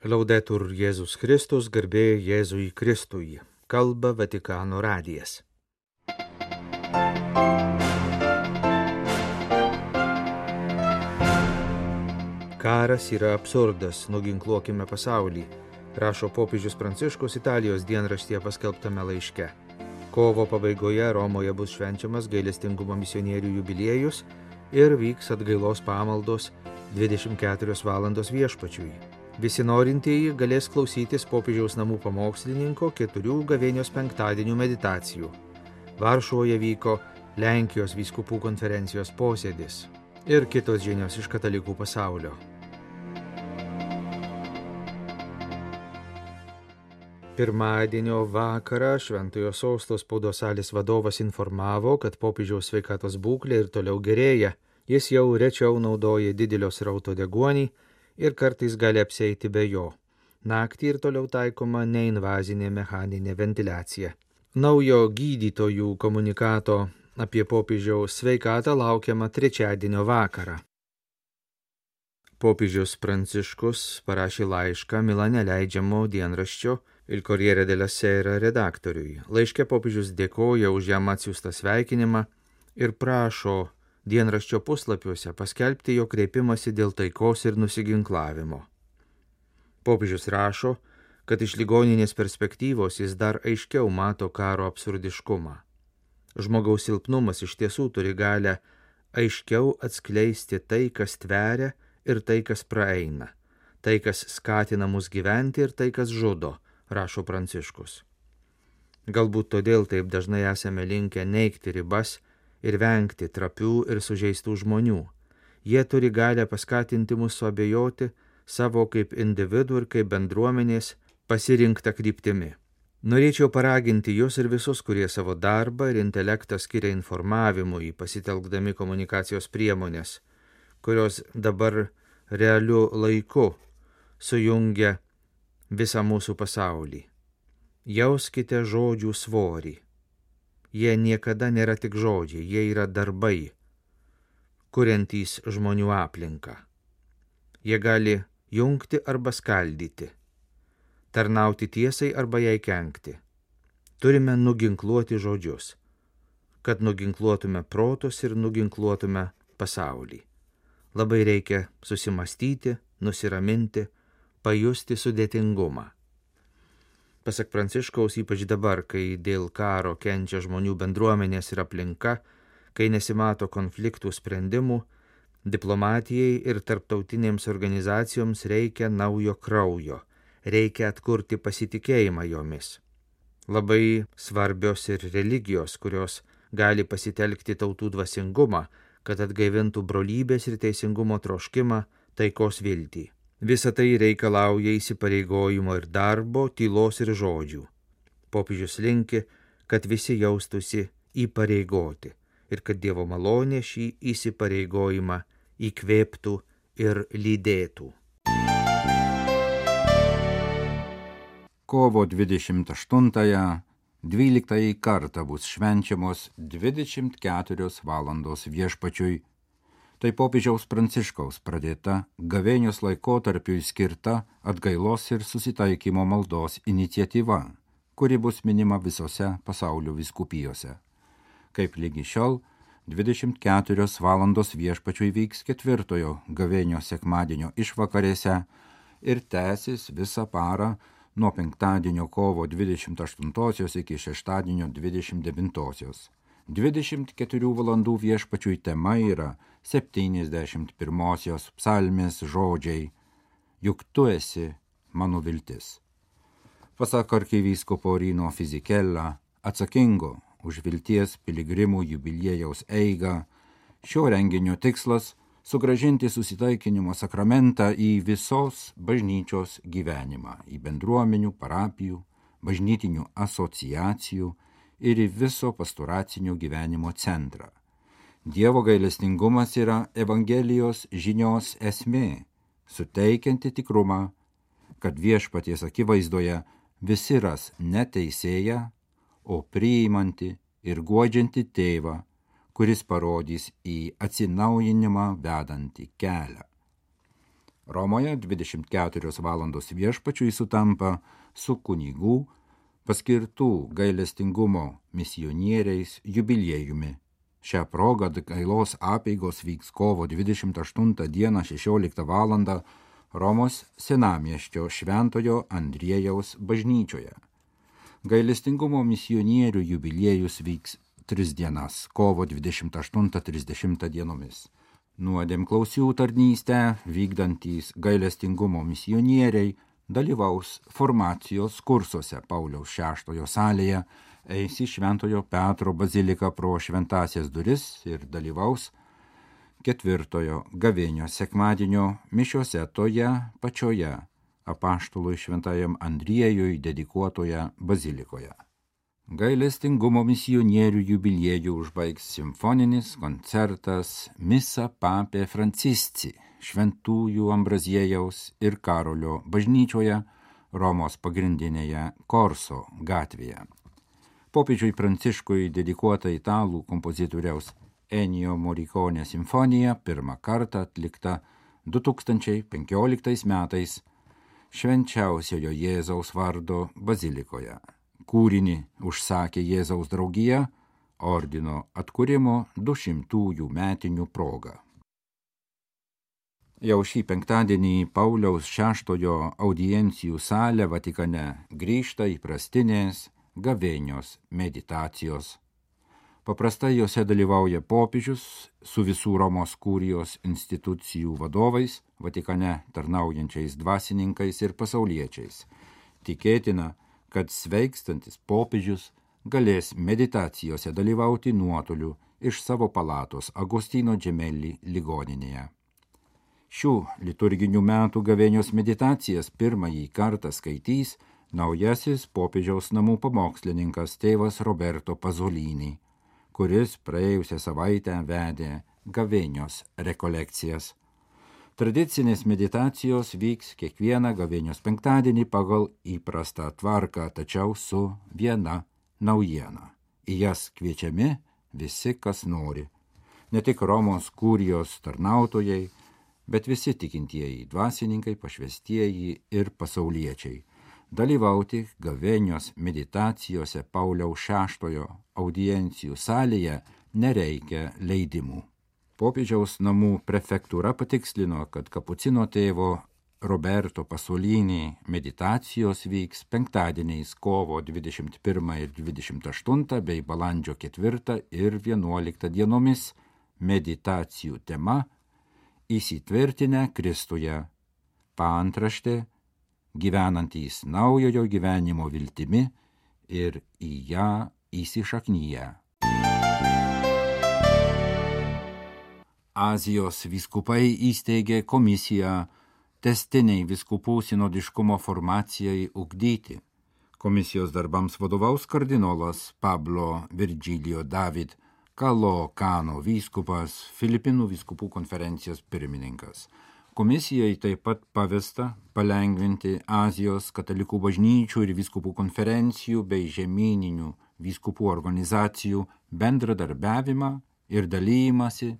Laudetur Jėzus Kristus, garbė Jėzui Kristui. Kalba Vatikano radijas. Karas yra absurdas, nuginkluokime pasaulį, rašo popiežius Pranciškus Italijos dienraštyje paskelbtame laiške. Kovo pabaigoje Romoje bus švenčiamas gailestingumo misionierių jubiliejus ir vyks atgailos pamaldos 24 valandos Viešpačiui. Visi norintieji galės klausytis popiežiaus namų pamokslininko 4 gavėnios penktadienių meditacijų. Varšuvoje vyko Lenkijos vyskupų konferencijos posėdis ir kitos žinios iš katalikų pasaulio. Pirmadienio vakarą Šventojo Sosto spaudos salės vadovas informavo, kad popiežiaus sveikatos būklė ir toliau gerėja. Jis jau rečiau naudoja didelio srauto deguonį ir kartais gali apsieiti be jo. Naktį ir toliau taikoma neinvazinė mechaninė ventiliacija. Naujo gydytojų komunikato apie popiežiaus sveikatą laukiama trečiadienio vakarą. Popiežius Pranciškus parašė laišką Milane leidžiamo dienraščio Il Corriere della Sera redaktoriui. Laiške popiežius dėkoja už jam atsiųstą sveikinimą ir prašo dienraščio puslapiuose paskelbti jo kreipimąsi dėl taikos ir nusiginklavimo. Popiežius rašo, kad iš ligoninės perspektyvos jis dar aiškiau mato karo absurdiškumą. Žmogaus silpnumas iš tiesų turi galę aiškiau atskleisti tai, kas tveria ir tai, kas praeina, tai, kas skatina mus gyventi ir tai, kas žudo, rašo Pranciškus. Galbūt todėl taip dažnai esame linkę neigti ribas ir vengti trapių ir sužeistų žmonių. Jie turi galę paskatinti mus suabejoti savo kaip individų ir kaip bendruomenės pasirinktą kryptimi. Norėčiau paraginti jūs ir visus, kurie savo darbą ir intelektą skiria informavimui, pasitelkdami komunikacijos priemonės, kurios dabar realiu laiku sujungia visą mūsų pasaulį. Jauskite žodžių svorį. Jie niekada nėra tik žodžiai, jie yra darbai, kuriantys žmonių aplinką. Jie gali jungti arba skaldyti, tarnauti tiesai arba jai kenkti. Turime nuginkluoti žodžius, kad nuginkluotume protus ir nuginkluotume pasaulį. Labai reikia susimastyti, nusiraminti, pajusti sudėtingumą. Pasak Pranciškaus, ypač dabar, kai dėl karo kenčia žmonių bendruomenės ir aplinka, kai nesimato konfliktų sprendimų, diplomatijai ir tarptautinėms organizacijoms reikia naujo kraujo, reikia atkurti pasitikėjimą jomis. Labai svarbios ir religijos, kurios gali pasitelkti tautų dvasingumą, kad atgaivintų brolybės ir teisingumo troškimą, taikos viltį. Visa tai reikalauja įsipareigojimo ir darbo, tylos ir žodžių. Popiežius linki, kad visi jaustųsi įpareigoti ir kad Dievo malonė šį įsipareigojimą įkvėptų ir lydėtų. Kovo 28-ąją 12 kartą bus švenčiamos 24 valandos Viešpačiui. Tai popiežiaus Pranciškaus pradėta gavėnios laikotarpiui skirta atgailos ir susitaikymo maldos iniciatyva, kuri bus minima visose pasaulio vyskupijose. Kaip lygi šiol, 24 valandos Viešpačiui vyks 4 gavėnios sekmadienio išvakarėse ir tęsis visą parą nuo penktadienio kovo 28 iki šeštadienio 29. 24 valandų Viešpačiui tema yra 71 psalmės žodžiai: Juk tu esi mano viltis. Pasak arkivyskupo Rino Fisichella, atsakingo už vilties piligrimų jubiliejaus eigą, šio renginio tikslas – sugrąžinti susitaikinimo sakramentą į visos bažnyčios gyvenimą, į bendruomenių, parapijų, bažnytinių asociacijų ir į viso pastoracinio gyvenimo centrą. Dievo gailestingumas yra Evangelijos žinios esmė, suteikianti tikrumą, kad Viešpaties akivaizdoje visi ras ne teisėją, o priimanti ir guodžianti tėvą, kuris parodys į atsinaujinimą vedantį kelią. Romoje 24 valandos viešpačiui sutampa su kunigų paskirtų gailestingumo misionieriais jubiliejumi. Šią progą gailos apeigos vyks kovo 28 dieną 16 valandą Romos senamiesčio Šventojo Andriejaus bažnyčioje. Gailestingumo misionierių jubiliejus vyks 3 dienas kovo 28-30 dienomis. Nuodėmklausių tarnystę vykdantys gailestingumo misionieriai dalyvaus formacijos kursuose Pauliaus VI salėje, eis į Šventojo Petro baziliką pro šventasias duris ir dalyvaus 4 gavėnios sekmadienio mišiose toje pačioje apaštalui Šventajam Andriejui dedikuotoje bazilikoje. Gailestingumo misionierių jubiliejų užbaigs simfoninis koncertas Misa Papė Francisci Šventųjų Ambraziejaus ir Karolio bažnyčioje Romos pagrindinėje Korso gatvėje. Popiežiui Pranciškui dedikuota italų kompozitoriaus Ennio Morricone simfonija pirmą kartą atlikta 2015 metais Švenčiausiojo Jėzaus vardo bazilikoje. Kūrinį užsakė Jėzaus draugija ordino atkūrimo 200 metinių proga. Jau šį penktadienį Pauliaus VI audiencijų salė Vatikane grįžta įprastinės gavėnios meditacijos. Paprastai jose dalyvauja popiežius su visų Romos kurijos institucijų vadovais, Vatikane tarnaujančiais dvasininkais ir pasauliečiais. Tikėtina, kad sveikstantis popiežius galės meditacijose dalyvauti nuotoliu iš savo palatos Agostino Gemelli ligoninėje. Šių liturginių metų gavėnios meditacijas pirmąjį kartą skaitys naujasis popiežiaus namų pamokslininkas tėvas Roberto Pasolini, kuris praėjusią savaitę vedė gavėnios rekolekcijas. Tradicinės meditacijos vyks kiekvieną gavėnios penktadienį pagal įprastą tvarką, tačiau su viena naujiena. Į jas kviečiami visi, kas nori. Ne tik Romos kurijos tarnautojai, bet visi tikintieji dvasininkai, pašvestieji ir pasauliečiai. Dalyvauti gavėnios meditacijose Pauliaus VI audiencijų salėje nereikia leidimų. Popiežiaus namų prefektūra patikslino, kad kapucino tėvo Roberto Pasolini meditacijos vyks penktadieniais kovo 21 ir 28 bei balandžio 4 ir 11 dienomis. Meditacijų tema įsitvirtinę Kristuje. Paantraštė gyvenantys naujojo gyvenimo viltimi ir į ją įsišaknyję. Azijos vyskupai įsteigė komisiją tęstiniai vyskupų sinodiškumo formacijai ugdyti. Komisijos darbams vadovaus kardinolas Pablo Virgilio David Calocano vyskupas, Filipinų vyskupų konferencijos pirmininkas. Komisijai taip pat pavesta palengvinti Azijos katalikų bažnyčių ir vyskupų konferencijų bei žemyninių vyskupų organizacijų bendradarbiavimą ir dalymasi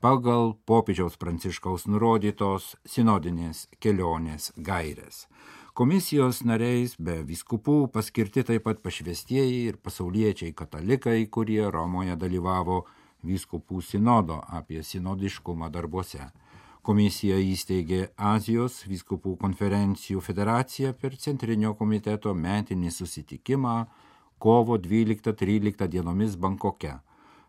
pagal popiežiaus Pranciškaus nurodytos sinodinės kelionės gairės. Komisijos nariais be vyskupų paskirti taip pat pašvestieji ir pasauliečiai katalikai, kurie Romoje dalyvavo vyskupų sinodo apie sinodiškumą darbuose. Komisija įsteigė Azijos vyskupų konferencijų federaciją per Centrinio komiteto metinį susitikimą kovo 12-13 dienomis Bankoke.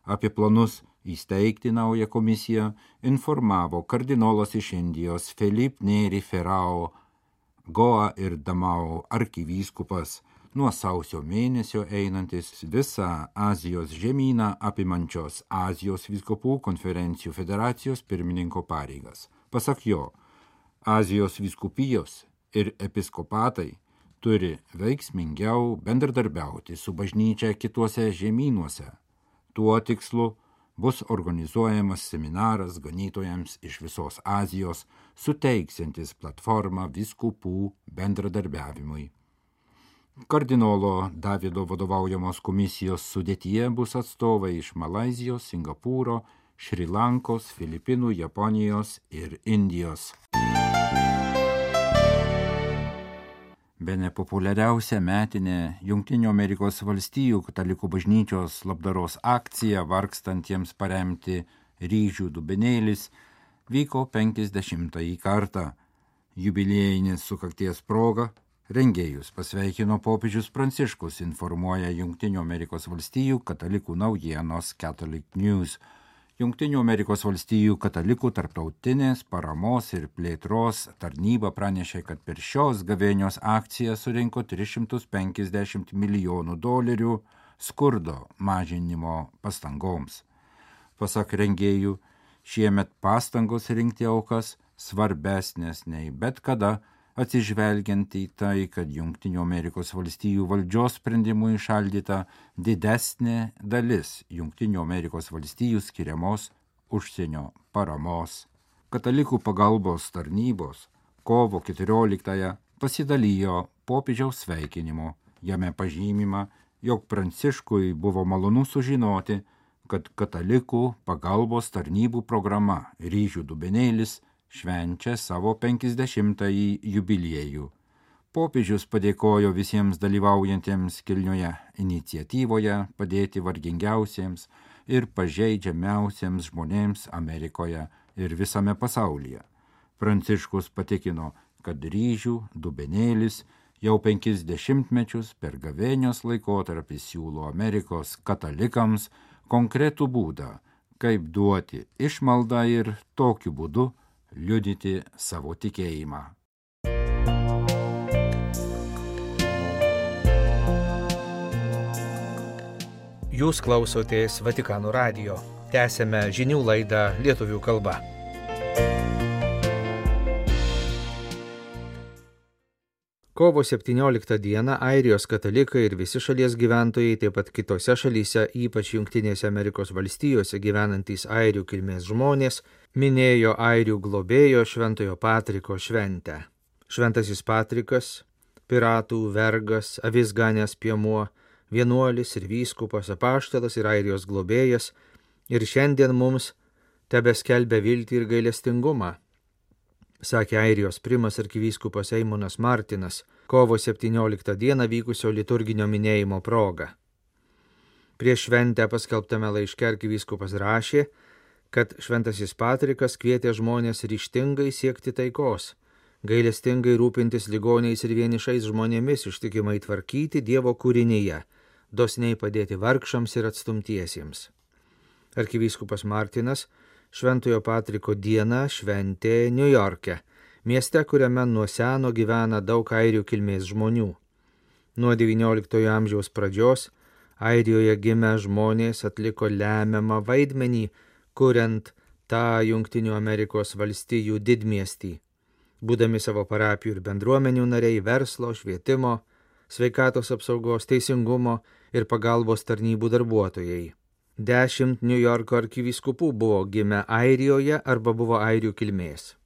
Apie planus įsteigti naują komisiją informavo kardinolas iš Indijos Philip Neri Ferrao, Goa ir Damao arkivyskupas, nuo sausio mėnesio einantis visą Azijos žemyną apimančios Azijos vyskupų konferencijų federacijos pirmininko pareigas. Pasak jo, Azijos vyskupijos ir episkopatai turi veiksmingiau bendradarbiauti su bažnyčia kituose žemynuose. Tuo tikslu bus organizuojamas seminaras ganytojams iš visos Azijos, suteiksiantis platformą vyskupų bendradarbiavimui. Kardinolo Davido vadovaujamos komisijos sudėtyje bus atstovai iš Malaizijos, Singapūro, Šri Lankos, Filipinų, Japonijos ir Indijos. Bene populiariausia metinė Jungtinių Amerikos valstijų katalikų bažnyčios labdaros akcija vargstantiems paremti Ryžių dubenėlis vyko 50-ąjį kartą. Jubiliejinis sukakties proga rengėjus pasveikino popiežius Pranciškus, informuoja Jungtinių Amerikos valstijų katalikų naujienos Catholic News. Jungtinių Amerikos valstijų katalikų tarptautinės paramos ir plėtros tarnyba pranešė, kad per šios gavėnios akciją surinko $350 milijonų skurdo mažinimo pastangoms. Pasak rengėjų, šiemet pastangos rinkti aukas svarbesnės nei bet kada, atsižvelgiant į tai, kad Jungtinių Amerikos valstijų valdžios sprendimų įšaldyta didesnė dalis Jungtinių Amerikos valstijų skiriamos užsienio paramos. Katalikų pagalbos tarnybos kovo 14-ąją pasidalijo popiežiaus sveikinimu. Jame pažymima, jog Pranciškui buvo malonu sužinoti, kad katalikų pagalbos tarnybų programa Ryžių dubenėlis švenčia savo 50-ąjį jubiliejų. Popiežius padėkojo visiems dalyvaujantiems kilnioje iniciatyvoje padėti vargingiausiems ir pažeidžiamiausiems žmonėms Amerikoje ir visame pasaulyje. Pranciškus patikino, kad Ryžių dubenėlis jau 50 mečius per gavėnios laikotarpį siūlo Amerikos katalikams konkretų būdą, kaip duoti išmaldą ir tokiu būdu liudyti savo tikėjimą. Jūs klausotės Vatikano radijo. Tęsiame žinių laidą lietuvių kalba. Kovo 17 dieną Airijos katalikai ir visi šalies gyventojai, taip pat kitose šalyse, ypač Jungtinėse Amerikos valstijose gyvenantys airių kilmės žmonės, minėjo airių globėjo Šventojo Patriko šventę. Šventasis Patrikas, piratų vergas, avis ganęs piemuo, vienuolis ir vyskupas, apaštalas ir Airijos globėjas, ir šiandien mums tebeskelbia viltį ir gailestingumą, sakė Airijos primas arkivyskupas Eimonas Martinas kovo 17 dieną vykusio liturginio minėjimo proga. Prieš šventę paskelbtame laiške arkivyskupas rašė, kad Šventasis Patrikas kvietė žmonės ryžtingai siekti taikos, gailestingai rūpintis ligoniais ir vienišais žmonėmis, ištikimai tvarkyti Dievo kūrinyje, dosniai padėti vargšams ir atstumtiesiems. Arkivyskupas Martinas Šventojo Patriko dieną šventė Niujorke, mieste, kuriame nuo seno gyvena daug airių kilmės žmonių. Nuo XIX amžiaus pradžios Airijoje gimę žmonės atliko lemiamą vaidmenį, kuriant tą Jungtinių Amerikos valstijų didmiestį, būdami savo parapijų ir bendruomenių nariai, verslo, švietimo, sveikatos apsaugos, teisingumo ir pagalbos tarnybų darbuotojai. 10 Niujorko arkivyskupų buvo gimę Airijoje arba buvo airių kilmės.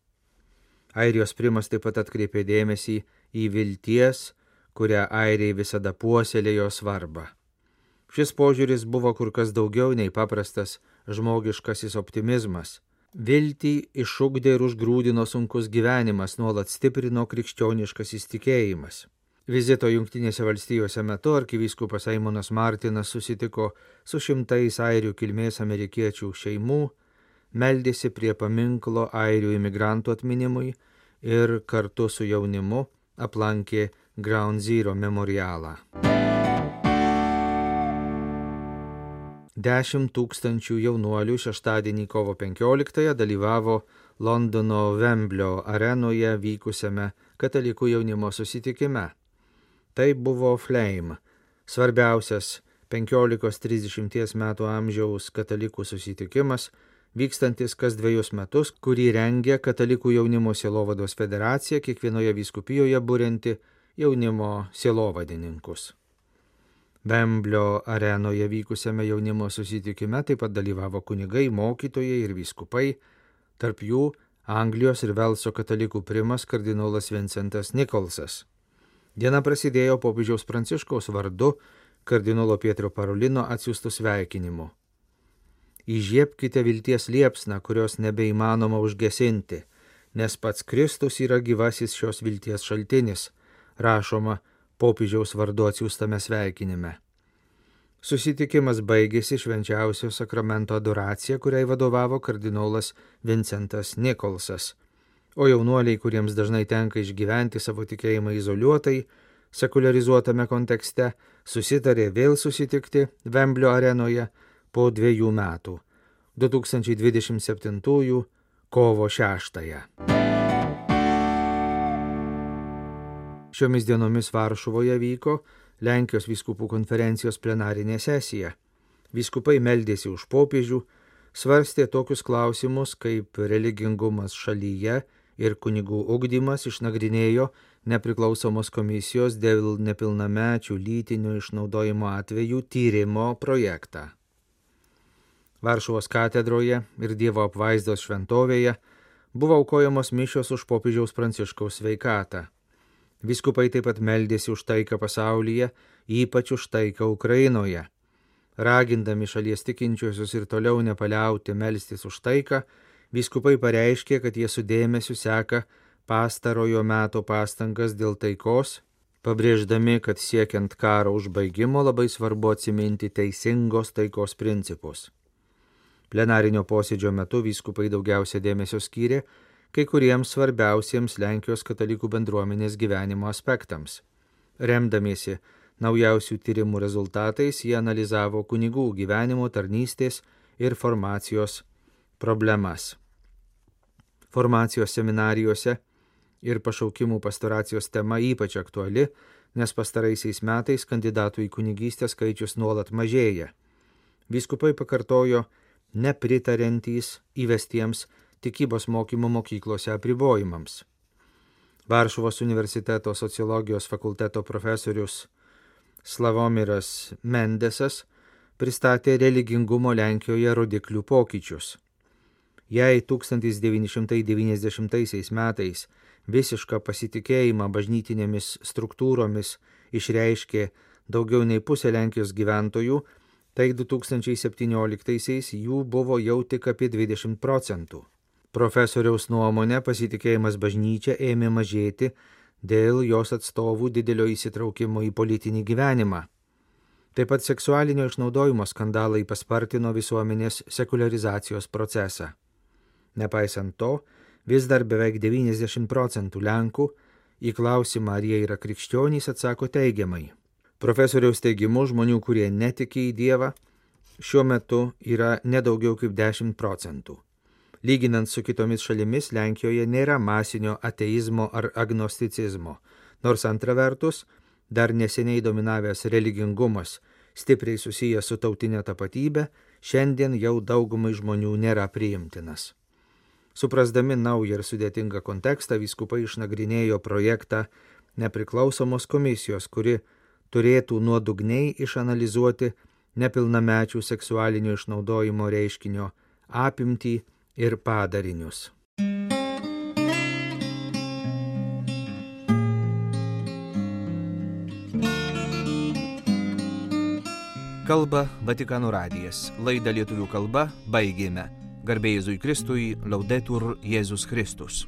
Airijos primas taip pat atkreipė dėmesį į vilties, kurią airiai visada puoselėjo svarbą. Šis požiūris buvo kur kas daugiau nei paprastas žmogiškasis optimizmas. Viltį išugdė ir užgrūdino sunkus gyvenimas, nuolat stiprino krikščioniškasis tikėjimas. Vizito Jungtinėse valstijose metu arkivyskupas Eimonas Martinas susitiko su šimtais airių kilmės amerikiečių šeimų, meldėsi prie paminklo airių imigrantų atminimui ir kartu su jaunimu aplankė Ground Zero memorialą. 10 000 jaunuolių šeštadienį kovo 15 dalyvavo Londono Wemblio arenoje vykusiame katalikų jaunimo susitikime. Tai buvo Flame, svarbiausias 15-30 metų amžiaus katalikų susitikimas, vykstantis kas 2 metus, kurį rengia Katalikų jaunimo sielovados federacija, kiekvienoje vyskupijoje burianti jaunimo sielovadininkus. Wemblio arenoje vykusiame jaunimo susitikime taip pat dalyvavo kunigai, mokytojai ir vyskupai, tarp jų Anglijos ir Velso katalikų primas kardinolas Vincentas Nikolsas. Diena prasidėjo popiežiaus Pranciškaus vardu kardinolo Pietro Parolino atsiųstų sveikinimu. įžiebkite vilties liepsną, kurios nebeįmanoma užgesinti, nes pats Kristus yra gyvasis šios vilties šaltinis, rašoma popiežiaus vardu atsiųstame sveikinime. Susitikimas baigėsi švenčiausio sakramento adoracija, kuriai vadovavo kardinolas Vincentas Nikolsas, o jaunuoliai, kuriems dažnai tenka išgyventi savo tikėjimą izoliuotai, sekularizuotame kontekste, susitarė vėl susitikti Vemblio arenoje po 2 metų, 2027 kovo 6. Šiomis dienomis Varšuvoje vyko Lenkijos vyskupų konferencijos plenarinė sesija. Vyskupai meldėsi už popiežių, svarstė tokius klausimus kaip religingumas šalyje ir kunigų ugdymas, išnagrinėjo nepriklausomos komisijos dėl nepilnamečių lytinio išnaudojimo atvejų tyrimo projektą. Varšuvos katedroje ir Dievo apvaizdos šventovėje buvo aukojamos mišios už popiežiaus Pranciškaus sveikatą. Vyskupai taip pat meldėsi už taiką pasaulyje, ypač už taiką Ukrainoje. Ragindami šalies tikinčiuosius ir toliau nepaliauti melstis už taiką, vyskupai pareiškė, kad jie su dėmesiu seka pastarojo meto pastangas dėl taikos, pabrėždami, kad siekiant karo užbaigimo labai svarbu atsiminti teisingos taikos principus. Plenarinio posėdžio metu vyskupai daugiausia dėmesio skyrė kai kuriems svarbiausiems Lenkijos katalikų bendruomenės gyvenimo aspektams. Remdamiesi naujausių tyrimų rezultatais, jie analizavo kunigų gyvenimo, tarnystės ir formacijos problemas. Formacijos seminarijose ir pašaukimų pastoracijos tema ypač aktuali, nes pastaraisiais metais kandidatų į kunigystę skaičius nuolat mažėja. Vyskupai pakartojo nepritariantys įvestiems tikybos mokymo mokyklose apribojimams. Varšuvos universiteto sociologijos fakulteto profesorius Slavomiras Mendesas pristatė religingumo Lenkijoje rodiklių pokyčius. Jei 1990 metais visišką pasitikėjimą bažnytinėmis struktūromis išreiškė daugiau nei pusė Lenkijos gyventojų, tai 2017 jų buvo jau tik apie 20%. Profesoriaus nuomonė, pasitikėjimas bažnyčia ėmė mažėti dėl jos atstovų didelio įsitraukimo į politinį gyvenimą. Taip pat seksualinio išnaudojimo skandalai paspartino visuomenės sekularizacijos procesą. Nepaisant to, vis dar beveik 90% Lenkų į klausimą, ar jie yra krikščionys, atsako teigiamai. Profesoriaus teigimu, žmonių, kurie netiki į Dievą, šiuo metu yra nedaugiau kaip 10%. Lyginant su kitomis šalimis, Lenkijoje nėra masinio ateizmo ar agnosticizmo, nors antra vertus, dar neseniai dominavęs religingumas, stipriai susijęs su tautinė tapatybė, šiandien jau daugumai žmonių nėra priimtinas. Suprasdami naują ir sudėtingą kontekstą, vyskupai išnagrinėjo projektą nepriklausomos komisijos, kuri turėtų nuodugniai išanalizuoti nepilnamečių seksualinio išnaudojimo reiškinio apimtį ir padarinius. Kalba Vatikano radijas. Laidą lietuvių kalba baigėme. Garbė Jėzui Kristui, Laudetur Jėzus Kristus.